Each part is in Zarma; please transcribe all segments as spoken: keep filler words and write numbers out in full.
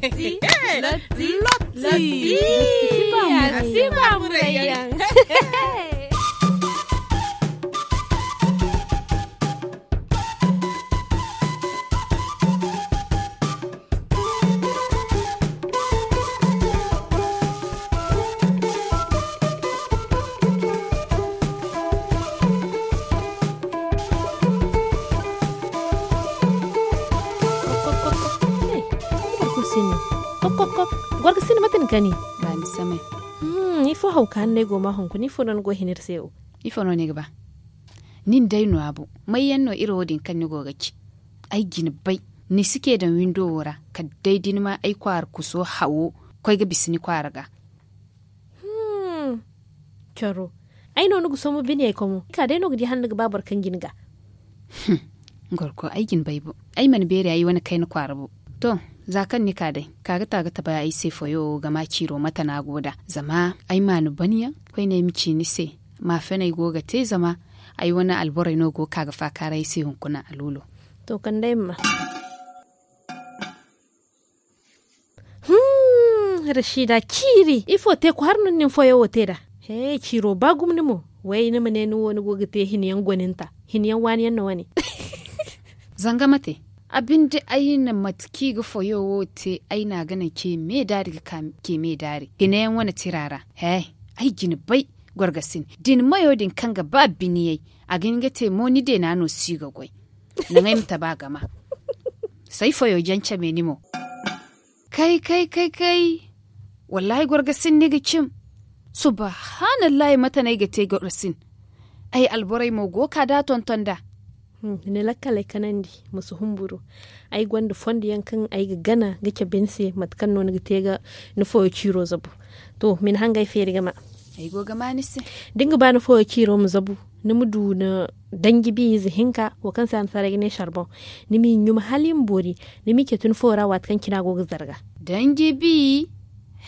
Lotti. Lotti. Lotti. Lotti. Lotti. Lotti. Gorga sinda mate ni kani? Ba ni samay. Hmm, ifo hawka hanney go ma hunkuna ifo no ni go hinir se wo? Ifo no ni ga ba? Nin day no abu. Mayyaŋ no iri wo din kaŋ ni go ga ci? Ay jina bay. Ni si ke daŋ windo wo ra kala day da ni ma ay kwaara kuso hawo koy ga bisa ni kwaara ga. Hmm. Coro. Ay no ni ga somo bine ay komo ka day no ga di hala ni ga ba boro kaŋ jina ga. Hmm. Gorko ay jina bay bo. Ay mana beeri ay wane kayna kwaara bo. To, za kaŋ ni ka day ka ga ta ga tabe ay se foyo wo ga ma ciiro mate no a go nd'a. Zama ay ma ni ban yaŋ koyne ay ma ci ni se. Ma fenay go ga te zama ay wane alborey no go ga ka ga faakaaray ay se hunkuna a luulo. To kande ay ma ma. Hmm, rashida ciiri ifo te kwaara no ni na ni foyo wo te nd'a? He, ciiro ba gumo ni mo. Way ni ma ne ni wo ni go ga te hina yaŋ gwaninta, hina yaŋ waani yaŋ no wane. Zanga mate. A binde ay na mate kaŋ i ga foyo wo te ay na a ga naŋ ce me daari ga ka ce me daari hina yaŋ wane tira ra. He, ay jina bay. Gorgasin da ni mayo din kaŋ ga ba biniyay, a ga hin ga te mo ni deena no si ga goy. Naŋ ay ma tabi a gama. Say foyo jaŋ came ni mo. Kay kay kay kay. Wallahi gorgasin ni ga cim. Subahanallahi mate no ay ga te gorgasin? Ay alborey mo go ga ka da tonton nd'a. Ni lakkaley kanandi, ma si humburu. Ay gonda fondo yaŋ kaŋ ay ga gana ga cabe ni se mate kaŋ no ni ga te ga ni foyo ciiro zabu. To ma ni hangey feeri ga ma. Ay go ga ma ni se. Da ni ga ba ni foyo ciiro ma zabu, ni ma du ni danji bi ize hinka wo kaŋ se a na saray ga ne sarboŋ. Ni m'i ɲuma hala i ma boori. Ni m'i catu ni foyo ra waati kaŋ cina go ga zarga. Danji bi?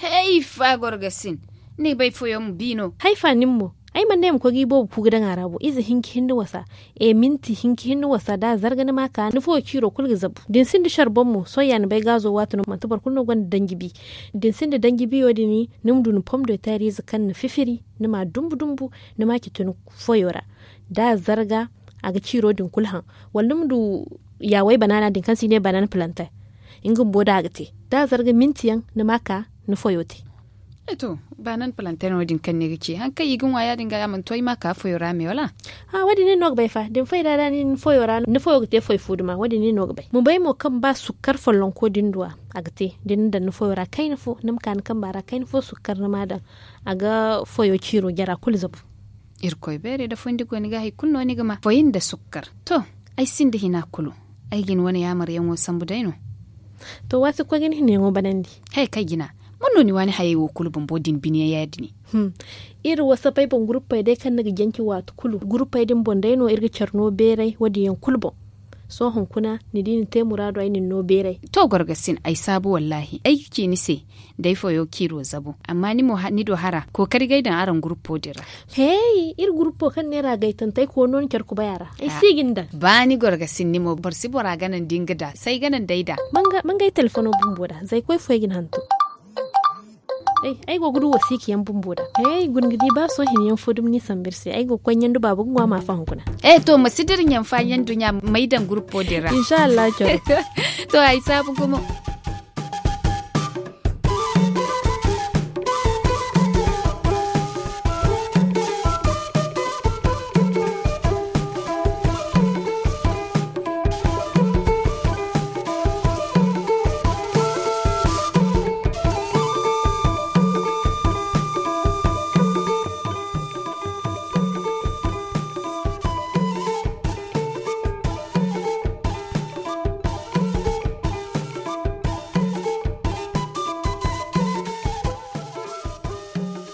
Hayfa gorgasin. Ni bay foyo ma bi no? Hayfa nin mo. Ay mana ne ay ma koy ga i boobo ku ga daŋ a ra bo ize hinka hinne wasa. E minti hinka hinne wasa da a zarga ni ma a ka ni foyo ciiro kulu ga zabu da ni sinda sarboŋ mo sohõ ya ni bay gaazo waati no manti boro kulu no gonda danji bi. Da ni sinda danji biyo din ni ma du ni pom de teer ize kaŋ ni fifiri ni ma a dumbu dumbu. Ni ma a catu ni foyo ra da a zarga a ga ciiro din kulu haŋ. Wala ni ma du yaawey banaana din kaŋ se i ne banaana palanteer. Nga bumbo da a ga te da a zarga minti yaŋ ni ma a ka ni foyo te. E to, baanan palanteer no- din kaŋ ni ga ci hari kaŋ i ga ŋwa ya- din ga ya mana to ay ma a ka foyo ra me wala? Ha wo- din nin no ga bay fa da ni fay da da nin foyo ra ni foyo ga te foy fo duma wo- din nin no ga bay. Ma bay mo kaŋ ba sukkar follonko din duwa a ga te da ni daŋ ni foyo ra kayna fo ni ma ka ni kamba ra kayna fo sukkar ni ma a daŋ. A ga foyo ciiro jara kulu zabu. Irkoy beeray da fondi go ni ga hari kulu no ni ga ma foy nda sukkar. To, ay sinda hina kulu. Ay ga ni wane yaamaryaŋo sambu day no. To waati ga koy ga ni hinayaŋo banandi. Hay kay jina. Man no ni waani hayey wo kulu bumbo din biniyaŋ ya- din? Iri wasapey boŋ guruppey day kaŋ ni ga jance waati kulu guruppey din boŋ day no iri ga care no beeray wo- din yaŋ kulu boŋ. Sohõ hunkuna ni di ni te muraadu ay na ni no beeray. To gorgasin ay saabu wallaahi ay ga ci ni se. Day foyo ciiro zabu amma ni mo ni do hara kookari ga ay daŋ araŋ guruppo din ra. Hey iri guruppo kaŋ neera gaytantey koy no ni care kubay a ra. Ay si ga ni daŋ. Ba ni gorgasin ni mo boro si bora gana nda nga da say gana nda ay da. Mangay telefono bumbo da zay koy fo ay ga ni hantum. Ay go ga du wasiika yaŋ bumbo da. Ay guna ga di ba sohõ hina yaŋ fo dumi ni sambu iri se ay go ga koy ɲandu baaba ga ŋwa ma a fahaŋ kuna. Eh to ma si dira ɲanfa ɲandu ɲa may daŋ guruppo din ra. Inshallah coro. To ay saabu gumo.